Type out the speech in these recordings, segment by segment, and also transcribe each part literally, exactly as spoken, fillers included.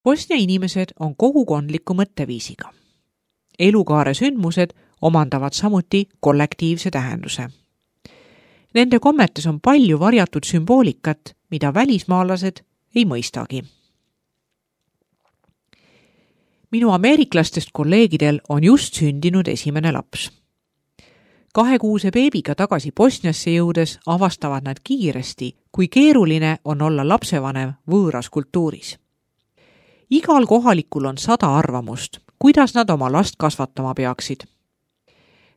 Bosnia inimesed on kogukondliku mõtteviisiga. Elukaare sündmused omandavad samuti kollektiivse tähenduse. Nende kommetes on palju varjatud sümboolikat, mida välismaalased ei mõistagi. Minu ameeriklastest kolleegidel on just sündinud esimene laps. Kahekuuse beebiga tagasi Bosniasse jõudes avastavad nad kiiresti, kui keeruline on olla lapsevanem võõras kultuuris. Igal kohalikul on sada arvamust, kuidas nad oma last kasvatama peaksid.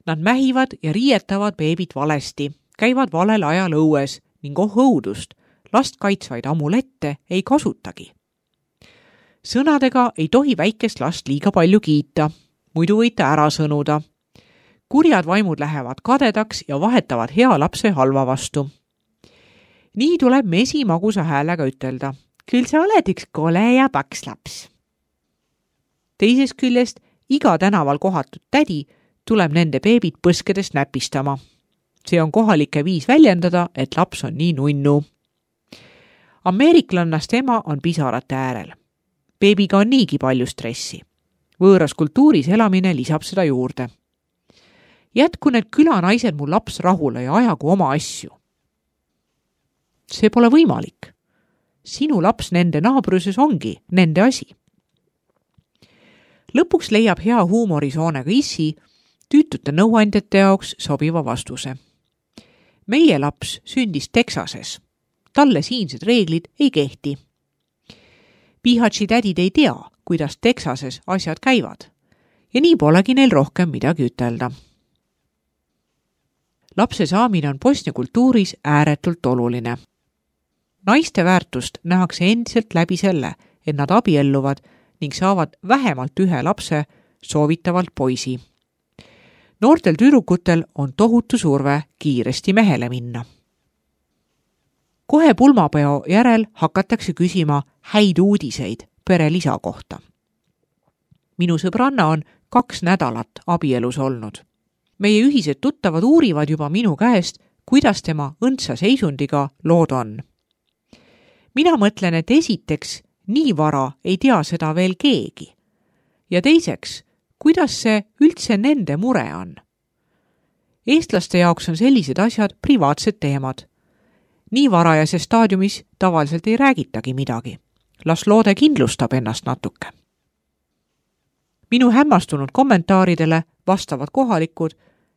Nad mähivad ja riietavad beebit valesti, käivad valel ajal õues ning oh õudust, last kaitsvaid amulette ei kasutagi. Sõnadega ei tohi väikest last liiga palju kiita, muidu võite ära sõnuda. Kurjad vaimud lähevad kadedaks ja vahetavad hea lapse halva vastu. Nii tuleb mesi magusa häälega ütelda. Küll sa oled üks kole ja paks laps. Teisest küljest iga tänaval kohatud tädi tuleb nende beebit põskedest näpistama. See on kohalike viis väljendada, et laps on nii nunnu. Ameeriklannast ema on pisarate äärel. Beebiga on niigi palju stressi. Võõras kultuuris elamine lisab seda juurde. Jätku need külanaised mu laps rahule ja ajagu oma asju. See pole võimalik. Sinu laps nende naabruses ongi nende asi. Lõpuks leiab hea huumorisoonega issi tüütute nõuandjate jaoks sobiva vastuse. Meie laps sündis Texases. Talle siinsed reeglid ei kehti. Pihatsi tädid ei tea, kuidas Texases asjad käivad ja nii polegi neil rohkem midagi ütelda. Lapse saamine on Bosnia kultuuris ääretult oluline. Naiste väärtust nähakse endiselt läbi selle, et nad abielluvad ning saavad vähemalt ühe lapse, soovitavalt poisi. Noortel tüdrukutel on tohutu surve kiiresti mehele minna. Kohe pulmapeo järel hakatakse küsima häid uudiseid pere lisa kohta. Minu sõbranna on kaks nädalat abielus olnud. Meie ühised tuttavad uurivad juba minu käest, kuidas tema õndsa seisundiga lood on. Mina mõtlen, et esiteks nii vara ei tea seda veel keegi. Ja teiseks, kuidas see üldse nende mure on. Eestlaste jaoks on sellised asjad privaatsed teemad. Nii varajases staadiumis tavaliselt ei räägitagi midagi. Las loode kindlustab ennast natuke. Minu hämmastunud kommentaaridele vastavad kohalikud,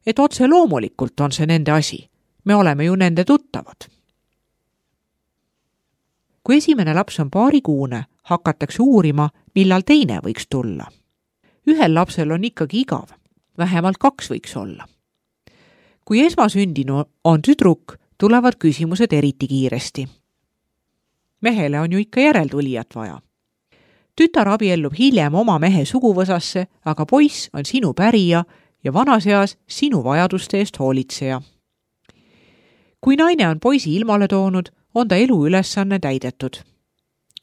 et otse loomulikult on see nende asi. Me oleme ju nende tuttavad. Kui esimene laps on paarikuune, hakatakse uurima, millal teine võiks tulla. Ühel lapsel on ikkagi igav, vähemalt kaks võiks olla. Kui esmasündinu on tüdruk, tulevad küsimused eriti kiiresti. Mehele on ju ikka järeltulijat vaja. Tütar abiellub hiljem oma mehe suguvõsasse, aga poiss on sinu pärija ja vanaseas sinu vajaduste eest hoolitseja. Kui naine on poisi ilmale toonud, on ta elu ülesanne täidetud.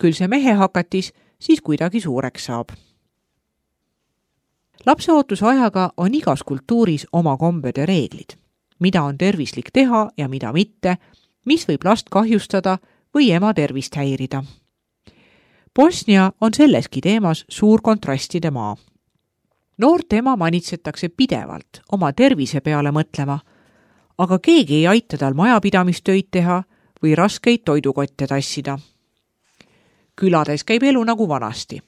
Küll see mehe hakatis, siis kuidagi suureks saab. Lapseootuse ajaga on igas kultuuris oma kombed ja reeglid. Mida on tervislik teha ja mida mitte, mis võib last kahjustada või ema tervist häirida. Bosnia on selleski teemas suur kontrastide maa. Noort ema manitsetakse pidevalt oma tervise peale mõtlema, aga keegi ei aita tal majapidamistöid teha või raskeid toidukotte tassida. Külades käib elu nagu vanasti.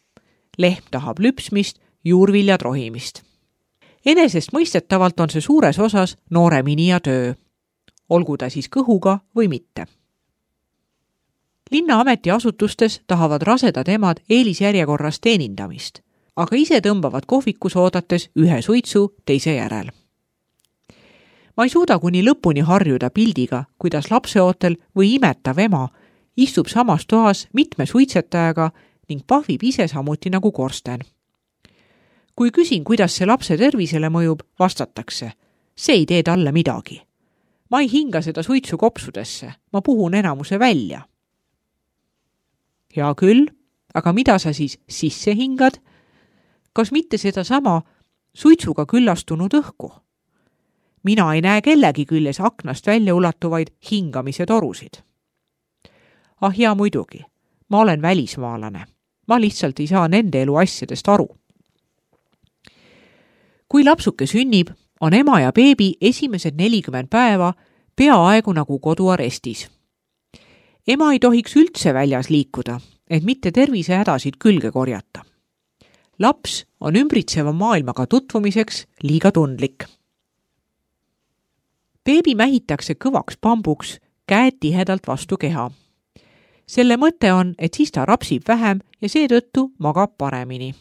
Lehm tahab lüpsmist, juurviljad rohimist. Enesest mõistetavalt on see suures osas noore minija töö. Olgu ta siis kõhuga või mitte. Linna ametiasutustes tahavad rasedad emad eelisjärjekorras teenindamist, aga ise tõmbavad kohvikus oodates ühe suitsu teise järel. Ma ei suuda kuni lõpuni harjuda pildiga, kuidas lapseootel või imetav ema istub samas toas mitme suitsetajaga ning pahvib ise samuti nagu korsten. Kui küsin, kuidas see lapse tervisele mõjub, vastatakse, see ei tee talle midagi. Ma ei hinga seda suitsu kopsudesse, ma puhun enamuse välja. Hea küll, aga mida sa siis sisse hingad? Kas mitte seda sama suitsuga küllastunud õhku? Mina ei näe kellegi küljes aknast välja ulatuvaid hingamise torusid. Ah ja muidugi, ma olen välismaalane. Ma lihtsalt ei saa nende elu asjadest aru. Kui lapsuke sünnib, on ema ja beebi esimesed nelikümmend päeva peaaegu nagu koduarestis. Ema ei tohiks üldse väljas liikuda, et mitte tervisehädasid külge korjata. Laps on ümbritseva maailmaga tutvumiseks liiga tundlik. Beebi mähitakse kõvaks pambuks, käed tihedalt vastu keha. Selle mõte on, et siis ta rapsib vähem ja seetõttu magab paremini.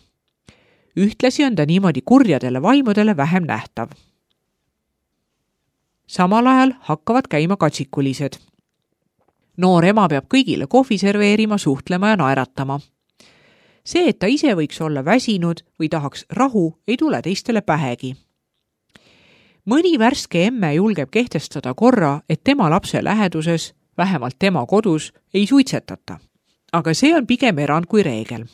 Ühtlasi on ta niimoodi kurjadele vaimudele vähem nähtav. Samal ajal hakkavad käima katsikulised. Noor ema peab kõigile kohvi serveerima, suhtlema ja naeratama. See, et ta ise võiks olla väsinud või tahaks rahu, ei tule teistele pähegi. Mõni värske emme julgeb kehtestada korra, et tema lapse läheduses, vähemalt tema kodus, ei suitsetata. Aga see on pigem erand kui reegel.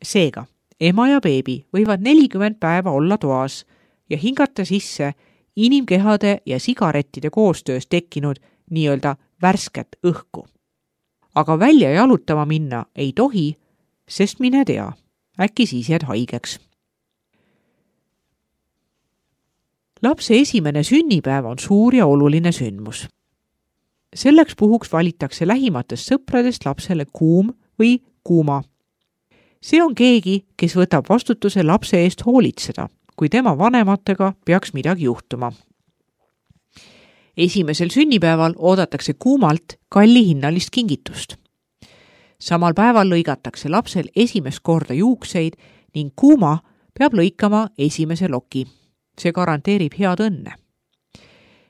Seega, ema ja beebi võivad nelikümmend päeva olla toas ja hingata sisse inimkehade ja sigarettide koostöös tekkinud nii-öelda värsket õhku. Aga välja jalutama minna ei tohi, sest mine tea, äkki siis jääd haigeks. Lapse esimene sünnipäev on suur ja oluline sündmus. Selleks puhuks valitakse lähimatest sõpradest lapsele kuum või kuuma. See on keegi, kes võtab vastutuse lapse eest hoolitseda, kui tema vanematega peaks midagi juhtuma. Esimesel sünnipäeval oodatakse kuumalt kallihinnalist kingitust. Samal päeval lõigatakse lapsel esimest korda juukseid ning kuuma peab lõikama esimese loki. See garanteerib head õnne.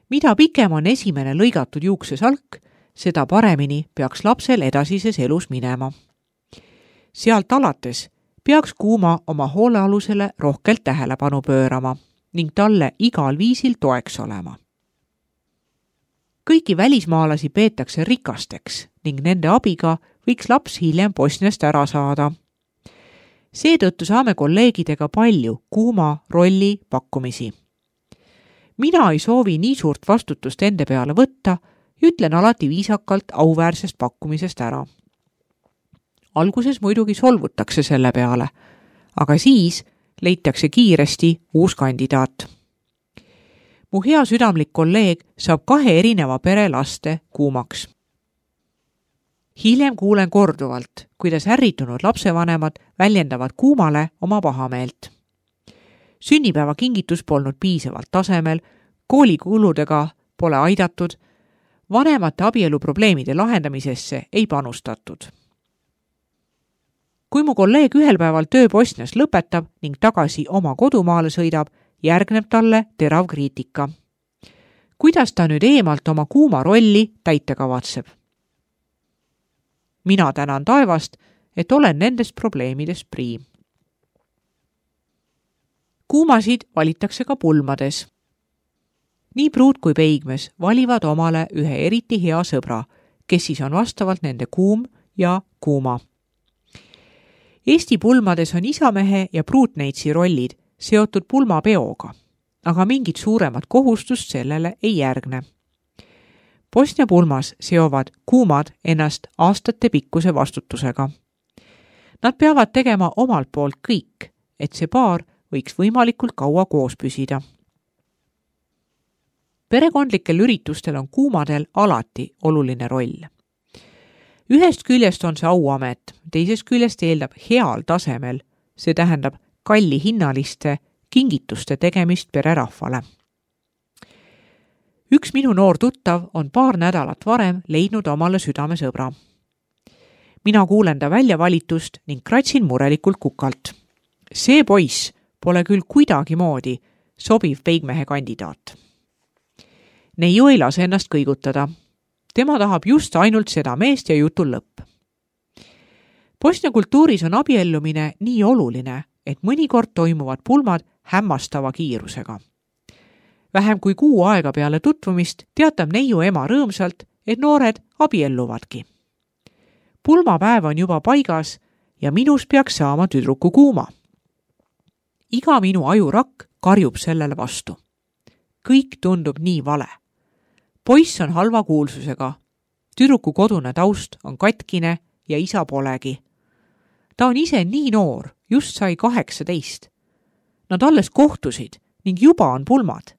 Mida pikem on esimene lõigatud juuksesalk, seda paremini peaks lapsel edasises elus minema. Sealt alates peaks kuuma oma hoolealusele rohkelt tähelepanu pöörama ning talle igal viisil toeks olema. Kõiki välismaalasi peetakse rikasteks ning nende abiga võiks laps hiljem Bosniast ära saada. Seetõttu saame kolleegidega palju kuuma rolli pakkumisi. Mina ei soovi nii suurt vastutust ende peale võtta ja ütlen alati viisakalt auväärsest pakkumisest ära. Alguses muidugi solvutakse selle peale, aga siis leitakse kiiresti uus kandidaat. Mu hea südamlik kolleeg saab kahe erineva pere laste kuumaks. Hiljem kuulen korduvalt, kuidas ärritunud lapsevanemad väljendavad kuumale oma pahameelt. Sünnipäeva kingitus polnud piisavalt tasemel, koolikuludega pole aidatud, vanemate abieluprobleemide lahendamisesse ei panustatud. Kui mu kolleeg ühel päeval töö Bosnias lõpetab ning tagasi oma kodumaale sõidab, järgneb talle terav kriitika. Kuidas ta nüüd eemalt oma kuuma rolli täita kavatseb? Mina tänan taevast, et olen nendest probleemidest prii. Kuumasid valitakse ka pulmades. Nii pruut kui peigmes valivad omale ühe eriti hea sõbra, kes siis on vastavalt nende kuum ja kuuma. Eesti pulmades on isamehe ja pruutneitsi rollid seotud pulmapeoga, aga mingit suuremat kohustust sellele ei järgne. Bosnia pulmas seovad kuumad ennast aastate pikkuse vastutusega. Nad peavad tegema omalt poolt kõik, et see paar võiks võimalikult kaua koos püsida. Perekondlikel üritustel on kuumadel alati oluline roll. Ühest küljest on see auamet, teisest küljest eeldab heal tasemel, see tähendab kalli hinnaliste kingituste tegemist pererahvale. Üks minu noor tuttav on paar nädalat varem leidnud omale südamesõbra. Mina kuulen ta väljavalitust ning kratsin murelikult kukalt. See poiss pole küll kuidagi moodi sobiv peigmehe kandidaat. Neiu ei lase ennast kõigutada. Tema tahab just ainult seda meest ja jutul lõpp. Bosnia kultuuris on abiellumine nii oluline, et mõnikord toimuvad pulmad hämmastava kiirusega. Vähem kui kuu aega peale tutvumist teatab neiu ema rõõmsalt, et noored abielluvadki. Pulmapäev on juba paigas ja minus peaks saama tüdruku kuuma. Iga minu ajurakk karjub sellele vastu. Kõik tundub nii vale. Poiss on halva kuulsusega. Tüdruku kodune taust on katkine ja isa polegi. Ta on ise nii noor, just sai kaheksateist. Nad alles kohtusid ning juba on pulmad.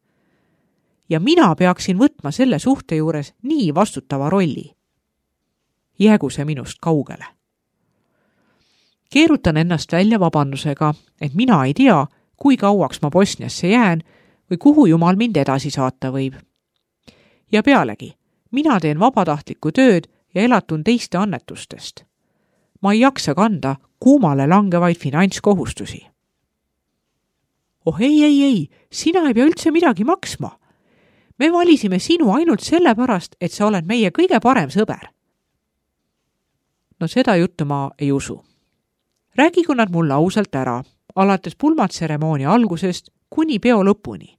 Ja mina peaksin võtma selle suhte juures nii vastutava rolli. Jäägu see minust kaugele. Keerutan ennast välja vabandusega, et mina ei tea, kui kauaks ma Bosniasse jään või kuhu jumal mind edasi saata võib. Ja pealegi, mina teen vabatahtlikku tööd ja elatun teiste annetustest. Ma ei jaksa kanda kuumale langevaid finantskohustusi. Oh ei, ei, ei, sina ei pea üldse midagi maksma. Me valisime sinu ainult sellepärast, et sa oled meie kõige parem sõber. No seda juttu ma ei usu. Räägigu nad mulle ausalt ära, alates pulmatseremoonia algusest kuni peo lõpuni.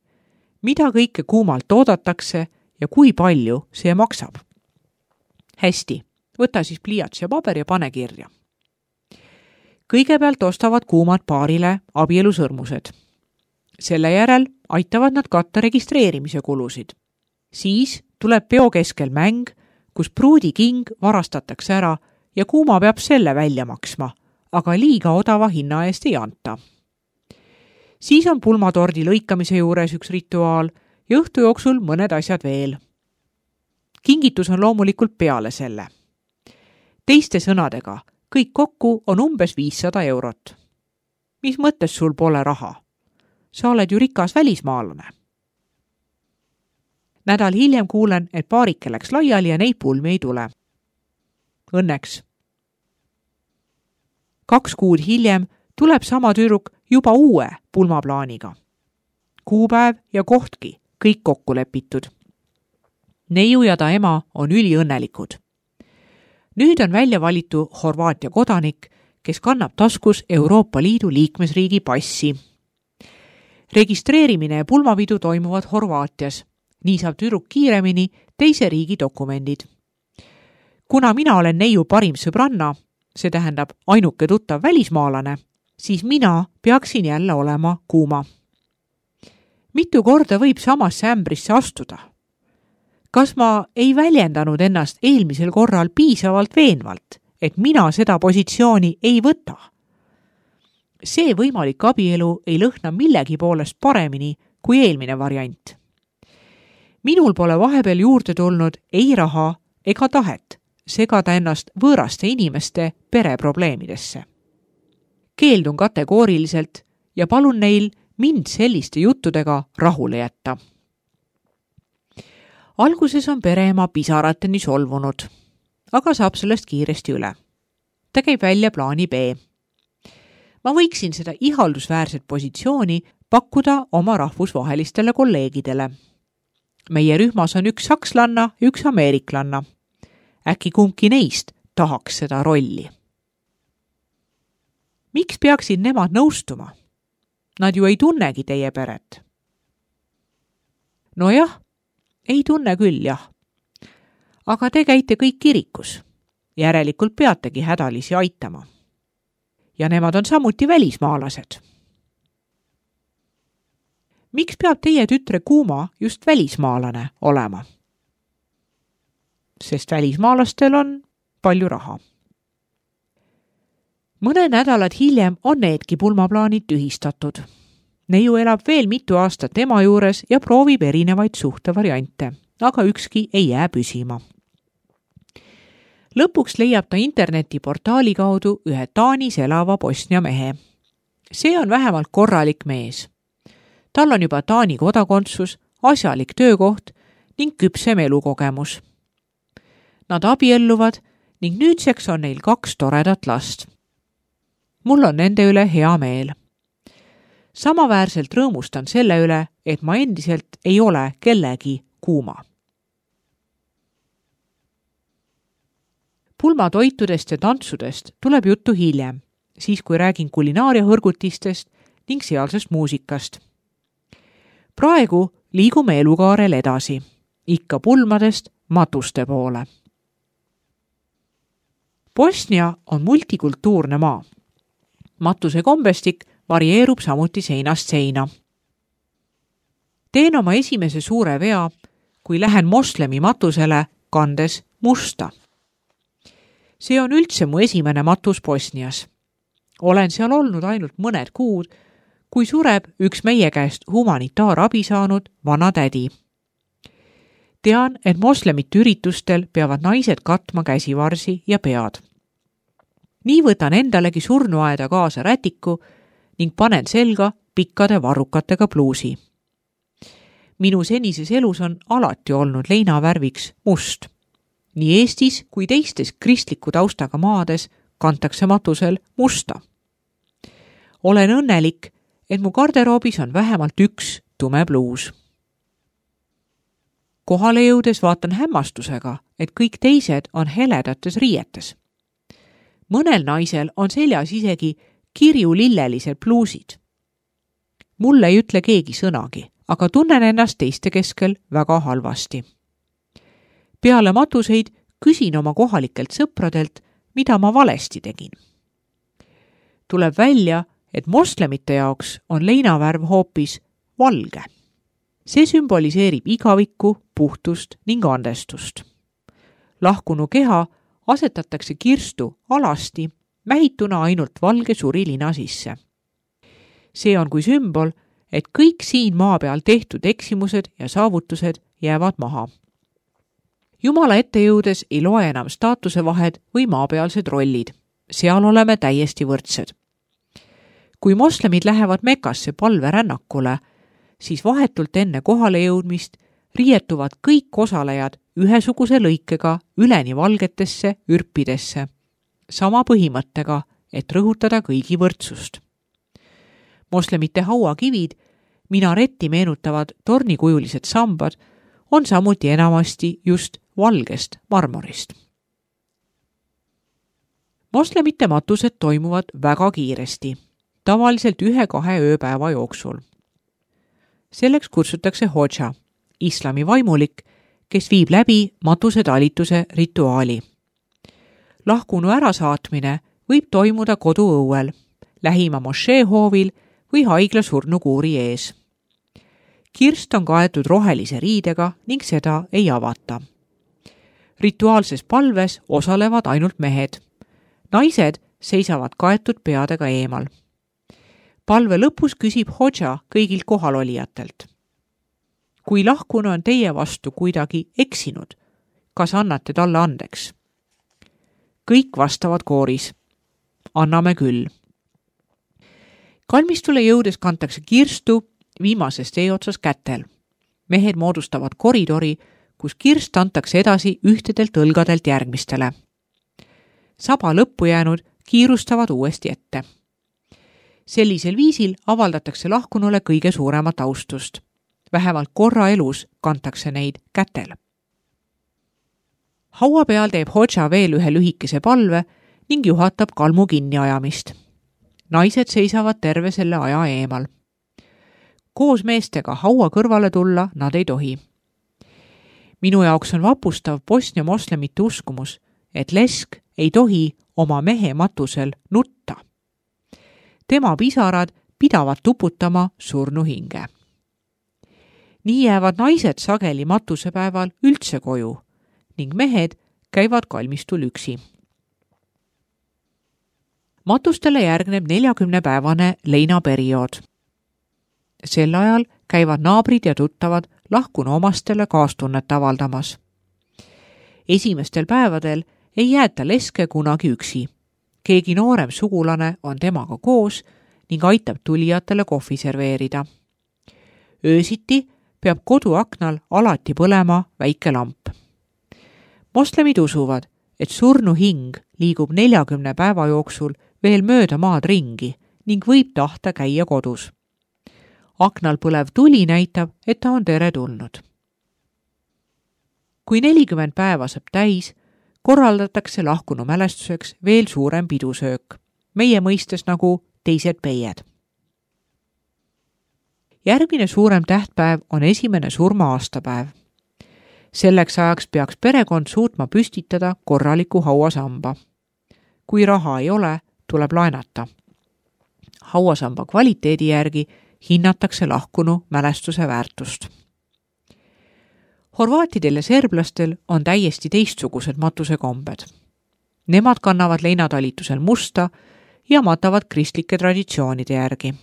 Mida kõike kuumalt oodatakse ja kui palju see maksab. Hästi, võta siis pliiats ja paber ja pane kirja. Kõigepealt ostavad kuumad paarile abielusõrmused. Selle järel aitavad nad katta registreerimise kulusid. Siis tuleb peo keskel mäng, kus pruudiking varastatakse ära ja kuuma peab selle välja maksma, aga liiga odava hinna eest ei anta. Siis on pulmatordi lõikamise juures üks rituaal ja õhtu jooksul mõned asjad veel. Kingitus on loomulikult peale selle. Teiste sõnadega, kõik kokku on umbes viissada eurot. Mis mõttes sul pole raha? Sa oled ju rikas välismaalane. Nädal hiljem kuulen, et paarike läks laiali ja neid pulmi ei tule. Õnneks. Kaks kuud hiljem tuleb sama tüdruk juba uue pulmaplaaniga. Kuupäev ja kohtki, kõik kokku lepitud. Neiu ja ta ema on üliõnnelikud. Nüüd on välja valitu Horvaatia kodanik, kes kannab taskus Euroopa Liidu liikmesriigi passi. Registreerimine ja pulmapidu toimuvad Horvaatias. Nii saab tüdruk kiiremini teise riigi dokumendid. Kuna mina olen neiu parim sõbranna, see tähendab ainuke tuttav välismaalane, siis mina peaksin jälle olema kuuma. Mitu korda võib samasse ämbrisse astuda? Kas ma ei väljendanud ennast eelmisel korral piisavalt veenvalt, et mina seda positsiooni ei võta? See võimalik abielu ei lõhna millegi poolest paremini kui eelmine variant. Minul pole vahepeal juurde tulnud ei raha ega tahet segada ennast võõraste inimeste pereprobleemidesse. Keeldun kategooriliselt ja palun neil mind selliste juttudega rahule jätta. Alguses on pereema pisarateni solvunud, aga saab sellest kiiresti üle. Ta käib välja plaani B. Ma võiksin seda ihaldusväärset positsiooni pakkuda oma rahvusvahelistele kolleegidele. Meie rühmas on üks sakslanna ja üks ameeriklanna. Äkki kumbki neist tahaks seda rolli. Miks peaksid nemad nõustuma? Nad ju ei tunnegi teie peret. No jah, ei tunne küll, jah. Aga te käite kõik kirikus. Järelikult peategi hädalisi aitama. Ja nemad on samuti välismaalased. Miks peab teie tütre kuuma just välismaalane olema? Sest välismaalastel on palju raha. Mõne nädalad hiljem on needki pulmaplaanid tühistatud. Neiu elab veel mitu aastat ema juures ja proovib erinevaid suhtevariante, aga ükski ei jää püsima. Lõpuks leiab ta internetiportaali kaudu ühe Taanis elava Bosnia mehe. See on vähemalt korralik mees. Tal on juba Taani kodakondsus, asjalik töökoht ning küpsem elukogemus. Nad abielluvad ning nüüdseks on neil kaks toredat last. Mul on nende üle hea meel. Samaväärselt rõõmustan selle üle, et ma endiselt ei ole kellegi kuuma. Pulmatoitudest ja tantsudest tuleb juttu hiljem, siis kui räägin kulinaariahõrgutistest ning sealsest muusikast. Praegu liigume elukaarel edasi, ikka pulmadest matuste poole. Bosnia on multikultuurne maa. Matuse kombestik varieerub samuti seinast seina. Teen oma esimese suure vea, kui lähen moslemi matusele kandes musta. See on üldse mu esimene matus Bosnias. Olen seal olnud ainult mõned kuud, kui sureb üks meie käest humanitaarabi saanud vana tädi. Tean, et moslemite üritustel peavad naised katma käsivarsi ja pead. Nii võtan endalegi surnuaeda kaasa rätiku ning panen selga pikkade varrukatega pluusi. Minu senises elus on alati olnud leinavärviks must. Nii Eestis kui teistes kristliku taustaga maades kantakse matusel musta. Olen õnnelik, et mu garderoobis on vähemalt üks tume pluus. Kohale jõudes vaatan hämmastusega, et kõik teised on heledates riietes. Mõnel naisel on seljas isegi kirjulillelised pluusid. Mulle ei ütle keegi sõnagi, aga tunnen ennast teiste keskel väga halvasti. Peale matuseid küsin oma kohalikelt sõpradelt, mida ma valesti tegin. Tuleb välja, et moslemite jaoks on leinavärv hoopis valge. See sümboliseerib igavikku, puhtust ning andestust. Lahkunu keha asetatakse kirstu alasti, mähituna ainult valge surilina sisse. See on kui sümbol, et kõik siin maa peal tehtud eksimused ja saavutused jäävad maha. Jumala ette jõudes ei loe enam staatuse vahed või maapealsed rollid. Seal oleme täiesti võrdsed. Kui moslemid lähevad Mekasse palverännakule, siis vahetult enne kohale jõudmist riietuvad kõik osalejad ühesuguse lõikega üleni valgetesse ürpidesse, sama põhimõttega, et rõhutada kõigi võrdsust. Moslemite hauakivid, minaretti meenutavad tornikujulised sambad, on samuti enamasti just valgest marmorist. Moslemite matused toimuvad väga kiiresti, tavaliselt ühe-kahe ööpäeva jooksul. Selleks kutsutakse hodža, islami vaimulik, kes viib läbi matuse talituse rituaali. Lahkunu ärasaatmine võib toimuda koduõuel, lähima mošeehoovil või haigla surnukuuri ees. Kirst on kaetud rohelise riidega ning seda ei avata. Rituaalses palves osalevad ainult mehed. Naised seisavad kaetud peadega eemal. Palve lõpus küsib hodža kõigilt kohalolijatelt. Kui lahkunu on teie vastu kuidagi eksinud, kas annate talle andeks? Kõik vastavad kooris. Anname küll. Kalmistule jõudes kantakse kirstu viimasest eeotsas kätel. Mehed moodustavad koridori, kus kirst antakse edasi ühtedelt õlgadelt järgmistele. Saba lõppu jäänud kiirustavad uuesti ette. Sellisel viisil avaldatakse lahkunule kõige suuremat austust. Vähemalt korra elus kantakse neid kätel. Haua peal teeb hodža veel ühe lühikese palve ning juhatab kalmu kinniajamist. Naised seisavad terve selle aja eemal. Koos meestega haua kõrvale tulla nad ei tohi. Minu jaoks on vapustav Bosnia moslemite uskumus, et lesk ei tohi oma mehe matusel nutta. Tema pisarad pidavad tuputama surnu hinge. Nii jäävad naised sageli matusepäeval üldse koju ning mehed käivad kalmistul üksi. Matustele järgneb neljakümnepäevane leinaperiood. Sel ajal käivad naabrid ja tuttavad lahkunu omastele kaastunnet avaldamas. Esimestel päevadel ei jäeta leske kunagi üksi. Keegi noorem sugulane on temaga koos ning aitab tulijatele kohvi serveerida. Öösiti peab koduaknal alati põlema väike lamp. Moslemid usuvad, et surnu hing liigub neljakümne päeva jooksul veel mööda maad ringi ning võib tahta käia kodus. Aknal põlev tuli näitab, et ta on tere tulnud. Kui nelikümmend päeva saab täis, korraldatakse lahkunu mälestuseks veel suurem pidusöök, meie mõistes nagu teised peied. Järgmine suurem tähtpäev on esimene surma aastapäev. Selleks ajaks peaks perekond suutma püstitada korraliku hauasamba. Kui raha ei ole, tuleb laenata. Hauasamba kvaliteedi järgi hinnatakse lahkunu mälestuse väärtust. Horvaatidel ja serblastel on täiesti teistsugused matusekombed. Nemad kannavad leinatalitusel musta ja matavad kristlike traditsioonide järgi.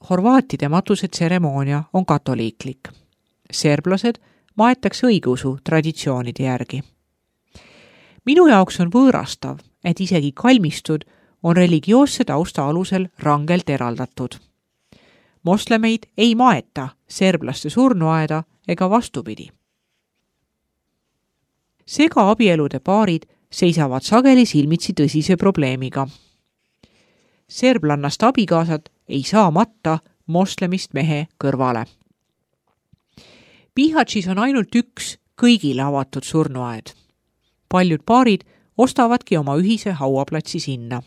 Horvaatide matusetseremoonia on katoliiklik. Serblased maetakse õigeusu traditsioonide järgi. Minu jaoks on võõrastav, et isegi kalmistud on religioosse tausta alusel rangelt eraldatud. Moslemeid ei maeta serblaste surnuaeda ega vastupidi. Sega abielude paarid seisavad sageli silmitsi tõsise probleemiga. Serblannast abikaasad ei saa matta moslemist mehe kõrvale. Bihaćis on ainult üks kõigile avatud surnuaed. Paljud paarid ostavadki oma ühise hauaplatsi sinna.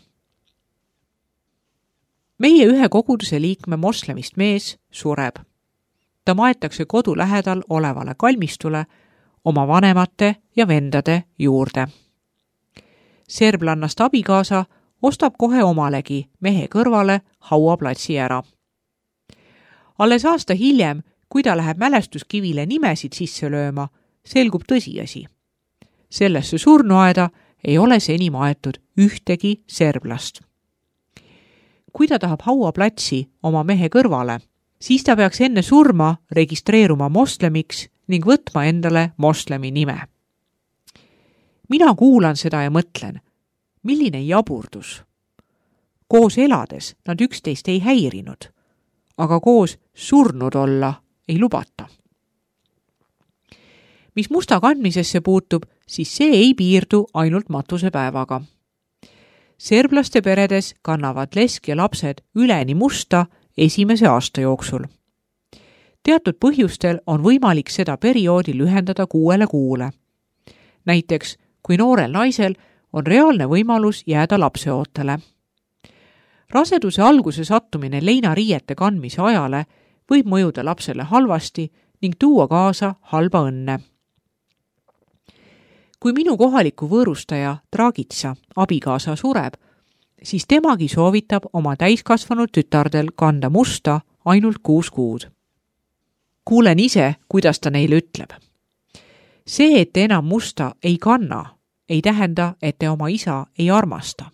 Meie ühe koguduse liikme moslemist mees sureb. Ta maetakse kodu lähedal olevale kalmistule oma vanemate ja vendade juurde. Serblannast abikaasa ostab kohe omalegi mehe kõrvale hauaplatsi ära. Alles aasta hiljem, kui ta läheb mälestuskivile nimesid sisse lööma, selgub tõsiasi. Sellesse surnuaeda ei ole seni maetud ühtegi serblast. Kui ta tahab hauaplatsi oma mehe kõrvale, siis ta peaks enne surma registreeruma moslemiks ning võtma endale moslemi nime. Mina kuulan seda ja mõtlen, milline jaburdus. Koos elades nad üksteist ei häirinud, aga koos surnud olla ei lubata. Mis musta kandmisesse puutub, siis see ei piirdu ainult matusepäevaga. Serblaste peredes kannavad lesk ja lapsed üleni musta esimese aasta jooksul. Teatud põhjustel on võimalik seda perioodi lühendada kuuele kuule. Näiteks, kui noorel naisel on reaalne võimalus jääda lapseootele. Raseduse alguse sattumine leinariiete kandmise ajale võib mõjuda lapsele halvasti ning tuua kaasa halba õnne. Kui minu kohaliku võõrustaja Dragitsa abikaasa sureb, siis temagi soovitab oma täiskasvanud tütardel kanda musta ainult kuus kuud. Kuulen ise, kuidas ta neile ütleb. See, et te enam musta ei kanna, ei tähenda, et te oma isa ei armasta.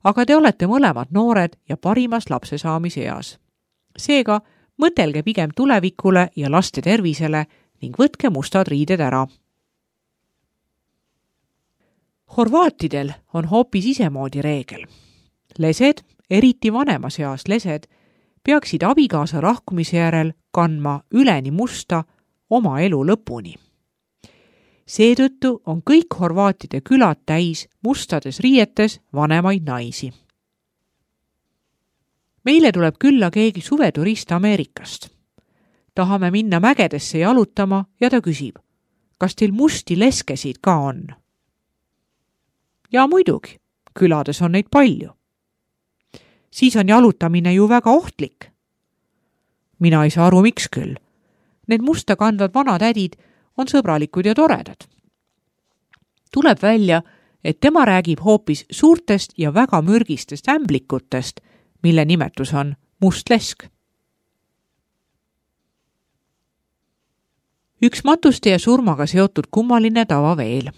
Aga te olete mõlemad noored ja parimas lapse saamise eas. Seega mõtelge pigem tulevikule ja laste tervisele ning võtke mustad riided ära. Horvaatidel on hoopis isemoodi reegel. Lesed, eriti vanemas eas lesed, peaksid abikaasa lahkumise järel kandma üleni musta oma elu lõpuni. Seetõttu on kõik horvaatide külad täis mustades riietes vanemaid naisi. Meile tuleb külla keegi suveturist Ameerikast. Tahame minna mägedesse jalutama ja ta küsib, kas teil musti leskesid ka on? Ja muidugi, külades on neid palju. Siis on jalutamine ju väga ohtlik. Mina ei saa aru, miks küll. Need musta kandvad vanatädid on sõbralikud ja toredad. Tuleb välja, et tema räägib hoopis suurtest ja väga mürgistest ämblikutest, mille nimetus on must lesk. Üks matuste ja surmaga seotud kummaline tava veel.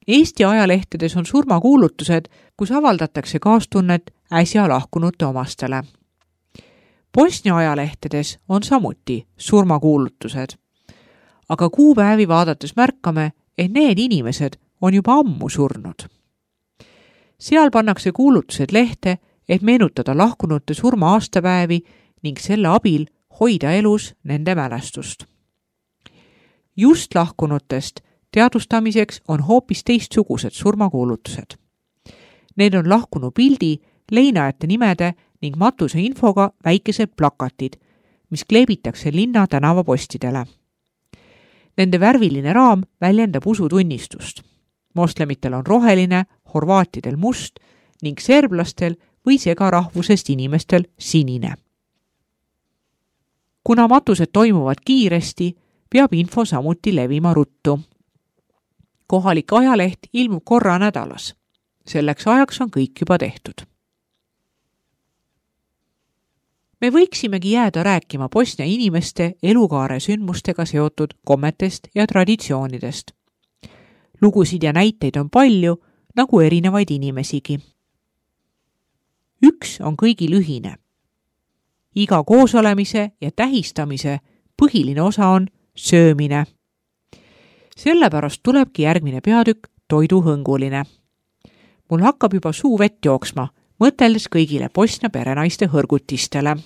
Eesti ajalehtedes on surmakuulutused, kus avaldatakse kaastunnet äsja lahkunute omastele. Bosnia ajalehtedes on samuti surmakuulutused, aga kuupäevi vaadates märkame, et need inimesed on juba ammu surnud. Seal pannakse kuulutused lehte, et meenutada lahkunute surma aastapäevi ning selle abil hoida elus nende mälestust. Just lahkunutest teadvustamiseks on hoopis teistsugused surmakuulutused. Need on lahkunu pildi, leinajate nimede ning matuse infoga väikesed plakatid, mis kleebitakse linna tänavapostidele. Nende värviline raam väljendab usutunnistust. Moslemitel on roheline, horvaatidel must ning serblastel või segarahvusest inimestel sinine. Kuna matused toimuvad kiiresti, peab info samuti levima ruttu. Kohalik ajaleht ilmub korra nädalas. Selleks ajaks on kõik juba tehtud. Me võiksimegi jääda rääkima Bosnia inimeste elukaare sündmustega seotud kommetest ja traditsioonidest. Lugusid ja näiteid on palju, nagu erinevaid inimesigi. Üks on kõigil ühine. Iga koosolemise ja tähistamise põhiline osa on söömine. Sellepärast tulebki järgmine peatükk toiduhõnguline. Mul hakkab juba suu vett jooksma, mõteldes kõigile Bosnia perenaiste hõrgutistele.